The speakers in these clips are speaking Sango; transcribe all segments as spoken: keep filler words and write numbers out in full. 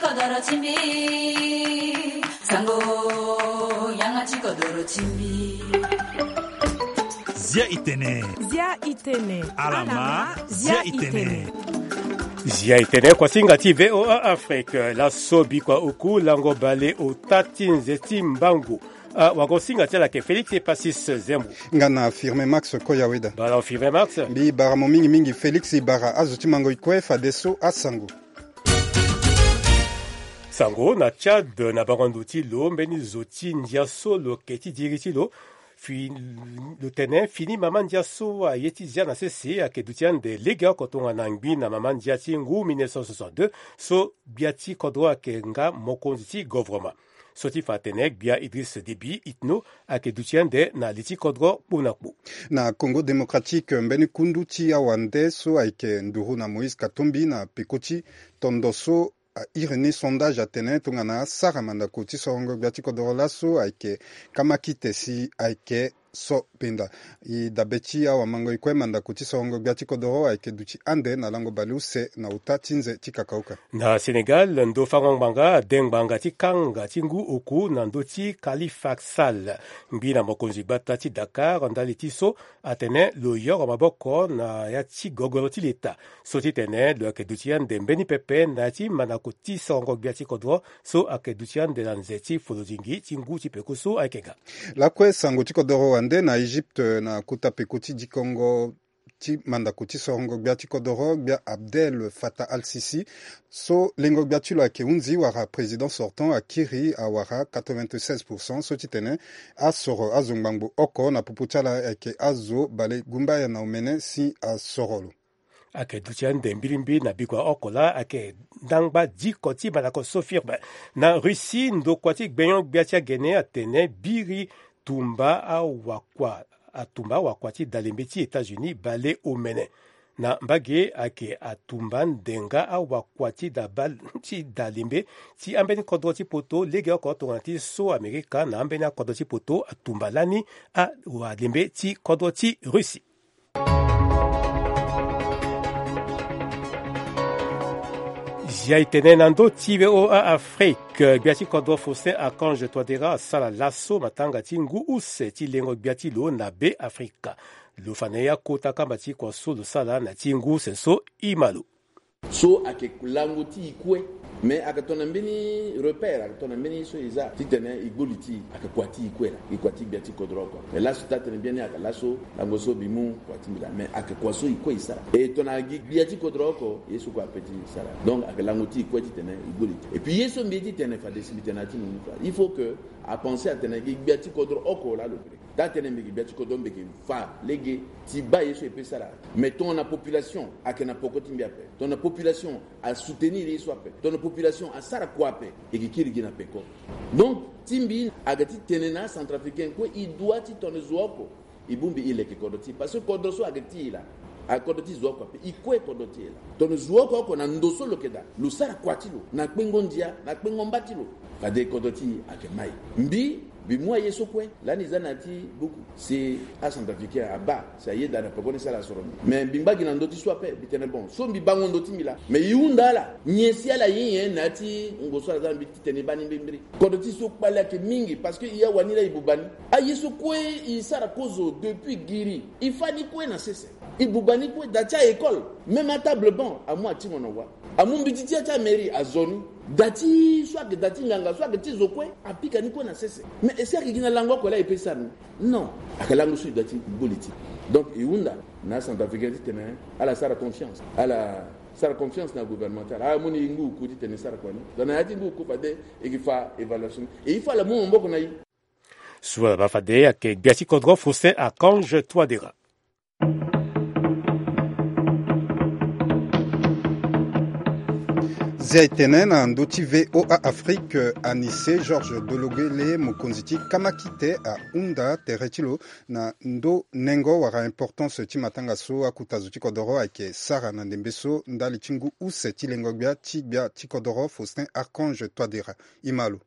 Kodoro ti mbi, sango, yanga ti kodoro ti mbi. Zia itene. Zia itene. Alama, zia itene. Zia itene, kuasinga ti V O A Afrique, laso bikua oku lango bale ota ti nze ti mbangu. Ah, wagosinga ti ala ayeke Félix Epasis Zembo. Nga na Firmin Max Koyaweda. Bala Firmin Max. Mbi bara mo mingi mingi Félix, i bara azo ti mango i kue fadeso asango. Sango na Tchad, na bango ndo ti lo, mbeni zo ti ndia so lo yeke ti diri ti lo, fi, lo tene fini mama ndia so aye ti zia na sese ayeke duti ande legeoko tongana ngbi na mama ndia ti ngu mille neuf cent soixante-deux, so gbia ti kodro ayeke nga mokonzi ti govoroma. So ti fa atene gbia Idriss Déby Itno ayeke duti ande na li ti kodro kpo na kpo. Na Congo Démocratique, mbeni kundu ti awande so ayeke nduru na Moïse Katumbi na peko ti tondo so airi ni sondage atene tongana asara mandako ti sorongo gbia ti kodoro laso ayeke kamakite si ayeke so penda. I dabe ti awamango i kue mandako ti sorongo gbia ti kodoro ayeke duti ande na lango baleuse na ota ti nze ti kakaoka. Na Sénégal, ndo fango ngbanga ade ngbanga ti kanga ti ngu oku na ndö ti Khalifa Sall, ngbi na mokonzi gbata ti Dakar, ndali ti so atene lo yoro maboko na ya ti gogoro ti leta. So ti tene lo yeke duti ande mbeni pepe na ya ti mandako ti sorongo gbia ti kodro so ayeke duti ande na nze ti folodingi ti ngu ti peko so ayeke ga. Lakue sango ti kodoro wande na Egypte na kota peko ti dikongo ti mandako ti sorongo gbia ti kodoro, gbia Abdel Fattah al-Sisi, so lengo gbia ti lo ayeke hunzi wala président sortant akiri awara quatre-vingt-seize pour cent, so ti tene asoro azo ngbangbo oko na popo ti ala ayeke azo bale gumbaya na omene si asoro lo. Ayeke duti ande mbirimbi na bikua oko laa ayeke ndangba diko ti mandako so firme. Na Russie, ndokua ti gbenyo-gbia ti agene atene biri tumba awakua, atumba awakua ti dalembe ti États-Unis bale omene. Na mbage ayeke atumba ndenga awakua ti da bal-, ti dalembe ti ambeni kodro ti poto legeoko tongana ti so Amerika na ambeni akodro ti poto atumba lani awalembe ti kodro ti Russie. Zia e tene na ndö ti V O A Afrique, gbia ti kodro Faustin Archange Touadéra asara laso matanga ti ngu use ti lengo gbia ti lo na Be Afrika. Lo fa na ye akota kamba ti kua so lo sara na ti ngu use so e ma lo. So ayeke lango ti e kue. Me ayeke tongana mbeni repère, ayeke tongana mbeni so e za titene e gbu li ti e, ayeke kua ti e kue laa, e kua ti gbia ti kodro oko. Me laso taa tene biani ayeke laso lango so mbi mu kua ti mbi laa, me ayeke kua so e kue e sara. E tongana gi gbia ti kodro oko, ye so kue ape ti sara. Donc ayeke lango ti e kue titene e gbu li ti e. Et puis ye so mbi ye titene fade si mbi tene na ya ti mo mu kua, il faut que apenser atene gi gbia ti kodro oko laa lo pe lege. Taa tene mbi gi gbia ti kodro, mbi yeke fa lege ti baa ye so e pe sara. Mais tongana population ayeke na peko ti mbi ape, tongana population asoutenir ye so ape, tongana population asara kua ape, e yeke kiri gi na peko. Donc ti mbi ayeke ti tene na acentrafricain kue, e doit ti tongana zo oko e bongbi e leke kodro ti e, parce que kodro so ayeke ti e laa, ayeke kodro ti zo oko ape, e kue kodro ti e laa. Tongana zo oko oko na ndo so lo yeke daa, lo sara kua ti lo na kpengo ndia, na kpengo mba ti lo, fade kodro ti e ayeke mai. Mbi, mbi mu aye so kue lani e za na ya ti buku si acentrafricain abaa si ayeda na peko ni si ala soro mbi. Mais mbi ngba gi na ndö ti so ape, mbi tene bon, so mbi bango ndo ti mbi laa, mais e hunda ala nyen si ala ye nyen na ya ti ngo so ala za na mbi titene e baa ni mbirimbiri. Kodro ti e so kpale ayeke mingi, parce que e awani laa e buba ni. Aye so kue e sara kozo depuis giri, e fâ ni kue na sese. E buba ni kue, daa ti a-école, même atable banc amu atingo na wa. Amu mbeti ti ya ti amairie azo ni. Daa ti so ayeke daa ti nganga, so ayeke ti zo kue, apika ni kue na sese. Mais est-ce que ayeke gi na lango oko laa e pe sara ni? Non. Ayeke lango so e doit ti gbu li ti e. Donc e hunda na acentrafricain titene ala sara confiance, ala sara confiance na gouvernement ti ala. Ala mu ni ngu oku titene e sara kua ni. Donc na ya ti ngu oku fade e yeke fa évaluation ni. Et il faut ala mu maboko na e. So ala baa fade ayeke gbia ti kodro Faustin Archange Touadéra. Zia e tene na ndö ti V O A Afrique, Anissé Georges Dologuélé, mokonzi ti kamakite, ahunda tere ti lo na ndö nengo wala importance ti matanga so akota zo ti kodoro ayeke sara na ndembe so ndali ti ngu use ti lengo gbia ti gbia ti kodoro Faustin Archange Touadéra. E ma lo.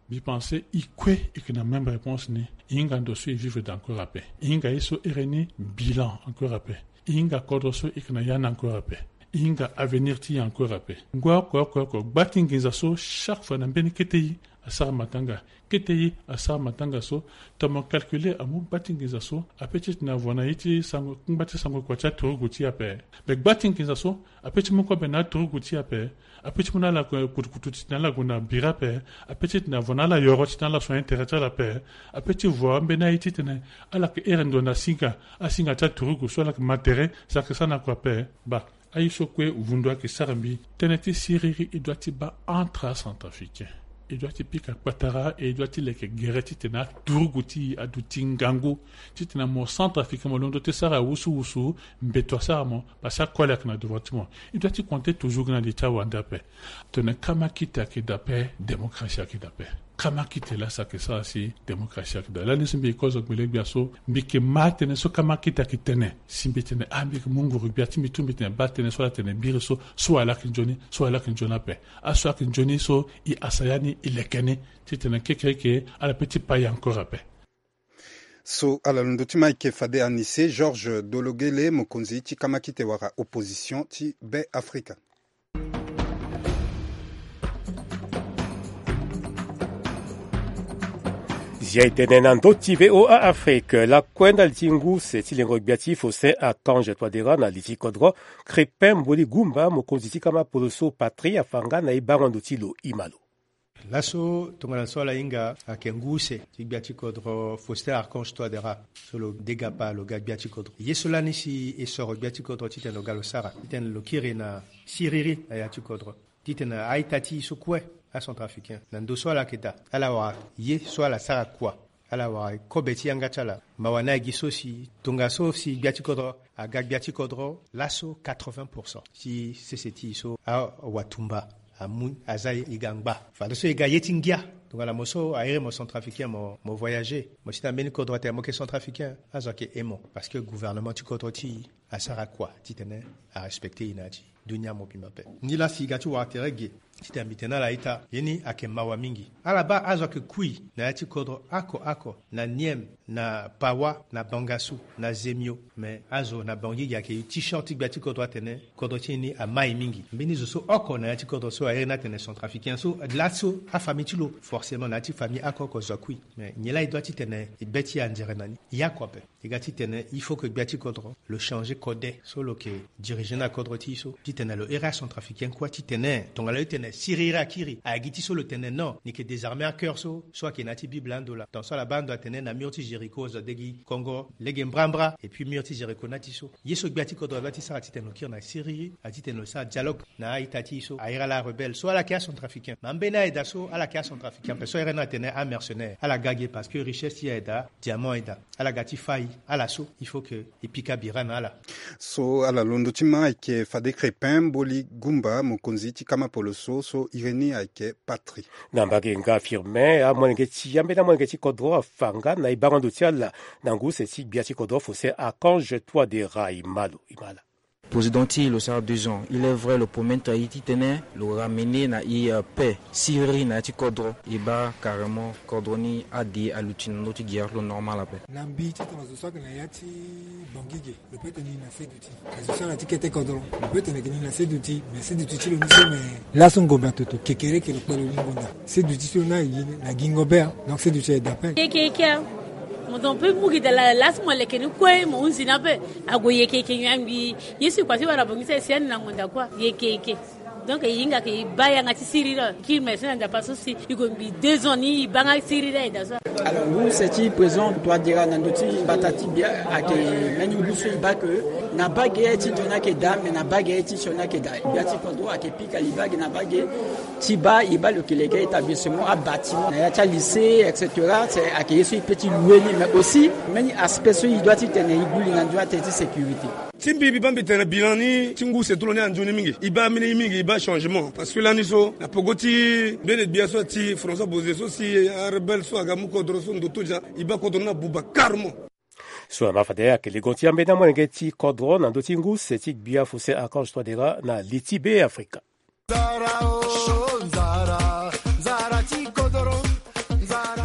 Mbi pense e kue e yeke na même réponse ni. E hinga ndo so e vivre daa encore ape. E hinga ye so ere ni bilan encore ape. E hinga kodro so e yeke na ya ni encore ape. E hinga avenir ti e encore ape. Ngoi oko oko oko, gba ti nginza so chaque fois na mbeni kete e asara matanga. Kete e asara matanga so, tongana mo calculer amu gba ti nginza so ape ti tene avo na ye ti sango, ngba ti sango kua ti aturugu ti e ape. Me gba ti nginza so ape ti mu kobe na aturugu ti e ape. Ape ti mu na ala kutukutu ti tene ala gue na bira ape. Ape ti tene avo na ala yoro ti tene ala so intérêt ti ala ape. Ape ti vo ambeni aye ti tene ala yeke here ndo na singa, asinga ti aturugu so ala yeke ma tere, so ala yeke sara na kua ape. Ba, aye so kue vundu ayeke sara mbi. Tënë ti siriri e doit ti baa entre acentrafricain. E doit ti pika kpatara, e doit ti leke gere ti tene aturugu ti e aduti ngangu ti tene mo centrafricain mo londo ti sara wusuwusu, mbeto asara mo, parce que akole ayeke na devant ti mo. E doit ti compter toujours gi na li ti awande ape. Tene kamakite ayeke daa ape, démocratie ayeke daa ape. Kamakite laa so ayeke sara si démocratie ayeke daa. Lani so mbi yeke kozo gbele-gbia so, mbi yeke ma tënë so kamakite ayeke tene. Si mbi tene, ah, mbi yeke mu nguru-gbia ti mbi tu, mbi tene baa tënë so ala tene biri so, so ala yeke nzoni, so ala yeke nzoni ape. Aso ayeke nzoni so, e asa ya ni, e leke ni ti tene kekereke ala pe ti pa e encore ape. So ala londo ti ma ayeke fade anise Georges Dologele, mokonzi ti kamakite wala opposition ti Be Afrika. Zia e tene na ndö ti V O A Afrique, lakue ndali ti ngu se ti lengo gbia ti Faustin Archange Touadéra na li ti kodro, Crépin Mboli Goumba, mokonzi ti kama poloso Patrie, afa nga na e bango ndo ti lo. E ma lo. Laso tongana so ala hinga ayeke ngu use ti gbia ti kodro Faustin Archange Touadéra, so lo degapa lo ga gbia ti kodro. Ye so lani si e soro gbia ti kodro titene lo ga lo sara, titene lo kiri na siriri na ya ti kodro, titene a-ita ti e so kue, acentrafricain, na ndo so ala yeke daa, ala wara ye so ala sara kua. Ala wara kobe ti yanga ti ala. Mawa ni agi so si tongaso si gbia ti kodro aga gbia ti kodro, laso quatre-vingts pour cent ti sese ti e so awatumba amu aza e ga ngba. Fadeso e ga ye ti ngia. Tongana mo so a iri mo centrafricain, mo, mo voyager, mo si na mbeni kodro atene mo yeke centrafricain, azo ayeke he mo, parce que gouvernement ti kodro ti e asara kua titene arespecter e na ya ti dunia mobimba ape. Nilaa si e ga ti wara tere ge titene mbi tene na ala ita, ye ni ayeke mawa mingi. Ala baa azo ayeke kui na ya ti kodro oko oko, na Niem, na Pawa, na Bangassou, na Zemio. Me azo na Bangui ge ayeke ti short ti gbia ti kodro atene kodro ti e ni amai mingi. Mbeni zo so oko na ya ti kodro so a iri ni atene centrafricain so, laso afamille ti lo, forcément na ya ti famille oko oko zo akui. Me nyen laa e doit titene e be ti e anzere na ni? E ya kua ape. E ga titene il faut que gbia ti kodro lo changer kode so lo yeke diriger na kodro ti e so, titene lo iri acentrafricain kue titene tongana lo tene siriri akiri, a gi ti so lo tene non, ni yeke désarmer acœur so, so ayeke na ya ti Bible ando laa. Tant so ala baa ando atene na mur ti Jéricho azo ade gi kongo lege mbrambra, et puis mur ti Jéricho na ya ti so. Ye so gbia ti kodro a doit ti sara titene lo kiri na siriri, a titene lo sara dialogue na a-ita ti e so a iri ala arebelle so ala yeke acentrafricain. Me ambeni ayeda so ala yeke acentrafricain ape so a iri ni atene amercenaire, ala ga ge parce que richesse ti e ayeda, diamant ayeda. Ala ga ti fâ e, ala so il faut que e pika bira na ala. So ala londo ti ma ayeke fade Crépin Mboli Goumba, mokonzi ti kama poloso, so iri ni ayeke Patrie. Na mbage nga Firmin, amolenge ti ambeni amolenge ti kodro afa nga na e bango ndo ti ala na ngu se ti gbia ti kodro Faustin Archange Touadéra. E ma lo, e ma ala. Président ti e lo sara deux ans. Il est vrai, lo promettre e titene lo ramener na e, euh, paix, siriri na ya ti kodro. E baa carrément kodro ni ade aluti na ndö ti guerre, lo normal ape. Na mbi titene azo so ayeke na ya ti Bangui ge, lo peut tene ni na seduti. Azo so ala ti kete kodro, lo peut tene yeke ni na seduti. Me seduti ti lo ni so, me laso ngombe atoto kekereke lo kpe lo ni ngonda. Seduti ti lo ni aye na gi ngombe, hein. Donc seduti ayeda ape. Yeke yeke, hein. Mo don pe mu gi da la, laso mo leke ni kue, mo hunzi ni ape. Ague yeke yeke nyen angbi? Ye so e kua ti wara bongbi ti e si ani na ngonda kua. Yeke yeke. Donc e hinga ke e baa yanga ti siriri. Kiri me so na Nzapa so si e gue ngbi deux ans ni e baa nga siriri ayeda so. Alors ngu se ti président Touadéra na ndö ti mbata ti gbia ayeke mbeni ngu so e baa ke na baa ge ti ndo ni ayeke daa, me na baa ge ti sioni ayeke daa. Gbia ti kodro ayeke pika libage na baa ge ti baa e baa lo yeke leke établissement, abâtiment na ya ti alycée, et cetera. C'est ayeke ye so e peut ti louer ni, mais aussi mbeni aspect so e doit titene e gue li na ndö atene ti sécurité. Ti mbi, mbi baa mbi tene bilan ni ti ngu se ti lo ni anzoni mingi. E baa mbeni mingi, e baa changement. Parce que lani so na peko ti mbeni gbia so ti François Bozé so si arebelle so aga mu kodro so ndo ti lo, e baa kodro ni abuba carrément. So na ma fade ayeke legon ti ambeni amolenge ti kodro na ndö ti ngu se ti gbia Faustin Archange Touadéra na li ti Be Afrika.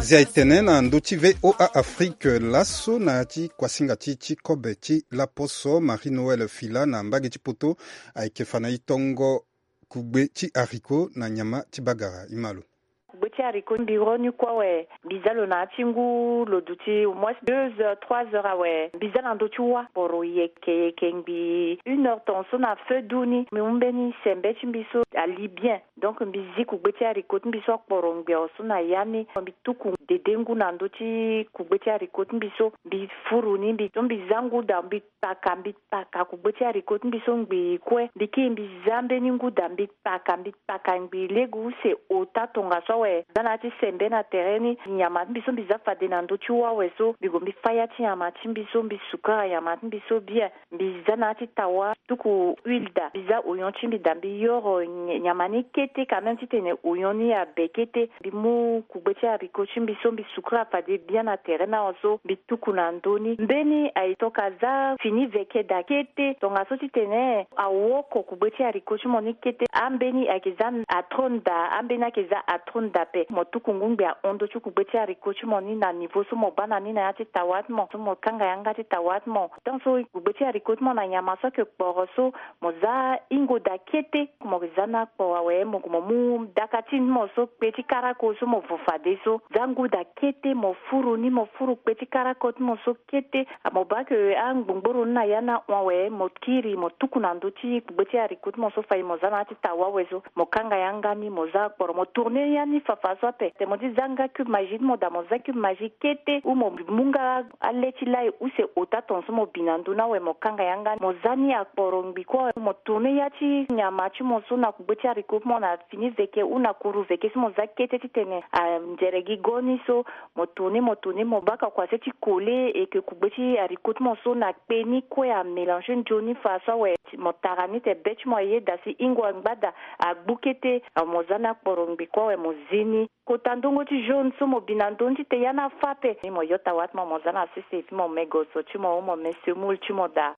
Zia etene na ndö ti VOA Afrique laso na ya ti kuasinga ti ti kobe ti laposo, Marie Noël Fila na mbage ti poto ayeke fa na e tongo kugbe ti haricot na nyama ti bagara. Imalo. Kugbe ti haricot mbi ro ni kue awe, mbi za lo na ya ti ngu lo duti au moins deux heures, trois heures awe, mbi za na ndö ti wâ. Kporo yeke yeke ngbii une heure tongaso na feu du ni, mbi mu mbeni sembe ti mbi so ali bien. Donc mbi zi kugbe ti haricot ti mbi so akporo ngbii awe so na ya ni, mbi tuku dede ngu na ndö ti kugbe ti haricot ti mbi so, mbi furu ni, mbi so mbi za ngu daa, mbi paka, mbi paka kugbe ti haricot ti mbi so ngbii kue. Mbi kiri mbi za mbeni ngu daa, mbi paka, mbi paka ngbii lege use ota tongaso awe. Za na ya ti sembe na tere ni, nyama ti mbi so mbi za fade na ndö ti wâ awe so, mbi gue mbi fâ ya ti nyama ti mbi so, mbi sukara nyama ti mbi so bien. Mbi za na ya ti tawa, tuku huile daa, mbi za oignon ti mbi daa, mbi yoro ny-, nyama ni kete quand même titene oignon ni abe kete. Mbi mu kugbe ti haricot ti mbi so, mbi sukara fade bien na tere ni awe so, mbi tuku na ndö ni. Mbeni aye tongana aza fini veke daa kete, tongaso titene awoko kugbe ti haricot ti mo ni kete. Ambeni ayeke za atrone daa, ambeni ayeke za atrone daa ape. Mo tuku ngu ngbii ahon ndö ti kugbe ti haricot ti mo ni na niveau so mo bâ na ni na ya ti tawa ti mo, so mo kanga yanga ti tawa ti mo. Tant so kugbe ti haricot ti mo na nyama so ayeke kporo so, mo za hingo daa kete. Mo za ni akporo awe, mo gue mo mu daka ti mo so kpe ti karako so mo vo fade so. Za ngu daa kete, mo furu ni, mo furu kpe ti karako ti mo so kete. Mo bâ ke angbongboro ni na ya ni ahon awe, mo kiri mo tuku na ndö ti kugbe ti haricot ti mo so fade mo za na ya ti tawa awe so. Mo kanga yanga ni, mo za akporo, mo tourner ya ni fafa so ape. Tene mo ti za nga cube Maggi ti mo daa, mo za cube Maggi kete, ou mo mu nga ale ti lai use ota tongaso mo bi na ndö ni awe, mo kanga yanga ni, mo za ni akporo ngbii kue awe, mo tourner ya ti nyama ti mo so na kugbe ti haricot ti mo na fini veke ou na kuru veke so mo za kete titene anzere gi go ni so, mo tourner, mo tourner, mo bâ ka kua se ti coller, et que kugbe ti haricot ti mo so na kpe ni kue amélanger nzoni faso awe. Mo tara ni tene be ti mo ayeda si hingo angba daa, agbu kete, mo za ni akporo ngbii kue awe, mo zi ni. Kota ndongo ti jaune so mo bi na ndö ni titene ya ni afâ ape. Ni mo yota wâ ti mo, mo za na sese ti mo, mo me goso ti mo, mo me semoule ti mo daa.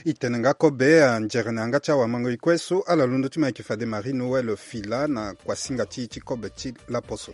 E tene nga kobe, anzere na yanga ti awamango e kue so, ala londo ti mo ayeke fade Marie Noël Fila na kuasinga ti e ti kobe ti laposo.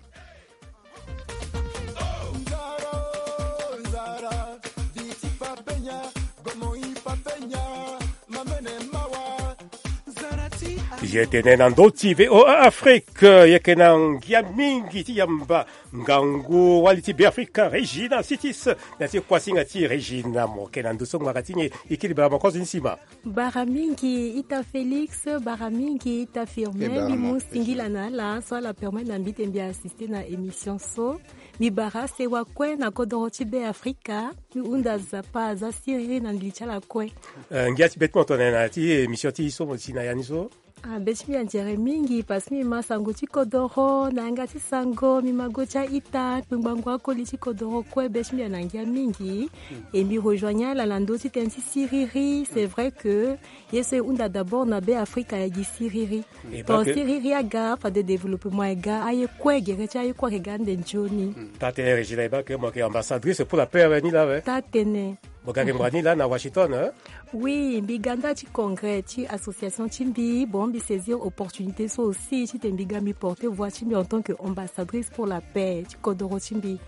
E tene na ndö ti VOA Afrique, e yeke na ngia mingi ti yamba ngangu wali ti Beafrika Regina Sitis, na ti kuasinga ti Regina. Mo yeke na ndö so ngbanga ti nyen, e kiri bara mo kozo ni sima. Bara mingi ita Félix, bara mingi ita Firmin, mbi mu singila na ala so ala permettre na mbi tene mbi assister na émission so. Mbi bara sewa kue na kodoro ti Beafrika, mbi hunda Nzapa aza siriri na ngili ti ala kue. Eh, ngia ti be ti mo tongana na ya ti émission ti e so mo si na ya ni so. Ah, be ti mbi anzere mingi parce que mbi ma sango ti kodoro na yanga ti sango, mbi ma go ti a-ita, kpengbango akoli ti kodoro kue, be ti mbi ana ngia mingi. E mbi rejoigne ala na ndö ti tënë ti siriri. C'est vrai que ye so e hunda d'abord na Beafrika ayeke gi siriri. Tongana siriri aga, fade développement aga, aye kue, gere ti aye kue ayeke ga ande nzoni. Taa-tënë Regina, e baa ke mo yeke ambassadrice pour la paix awe ni laa awe. Taa-tënë. Mo ga yeke ngbanga ni laa na Washington, hein? Oui, mbi ga nda ti congrès ti association ti mbi, bon, mbi saisir opportunité so aussi titene mbi ga mbi porter voix ti mbi en tant que ambassadrice pour la paix ti kodoro ti mbi.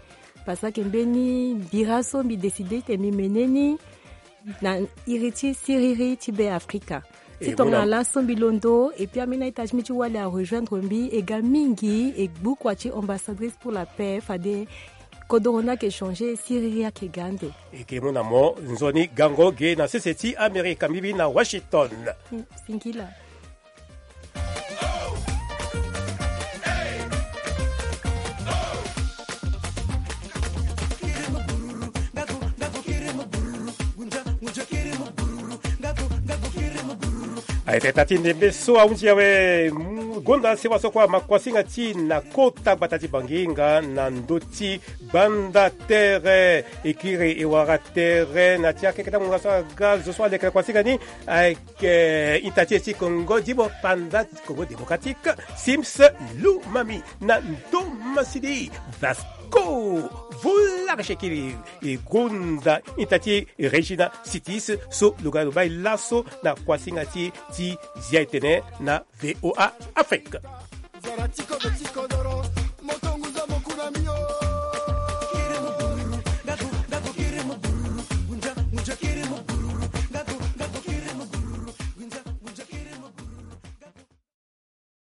Parce que mbeni bira so mbi décider titene mbi mene ni na iri ti siriri ti Beafrika. Ti tongana laso mbi londo, et puis ambeni a-ita ti mbi ti wali arejoindre mbi, e ga mingi, e gbu kua ti ambassadrice pour la paix, fade kodoro ni ayeke changer, siriri ayeke ga ande. E ke mu na mo nzoni gango ge na sese ti Amerika, mbi bi na Washington. Mm, singila. Aye tene taa ti ndembe so ahunzi awe, mm, gonda sewa so kue ama kuasinga ti e na kota gbata ti Bangi nga na ndö ti gbanda tere, e kiri e wara tere na ti akeketa ngonga so aga zo so aleke na kuasinga ni. Aye ke ita ti e ti Kongo, Djibo Panda, Congo Démocratique, Sims Lumami, na Ndomasidi Vasco. Volare shekiri, e gonda ita ti Regina Sitis so lo ga lo bai laso na kuasinga ti e ti zia etene na VOA Afrique. Ami o.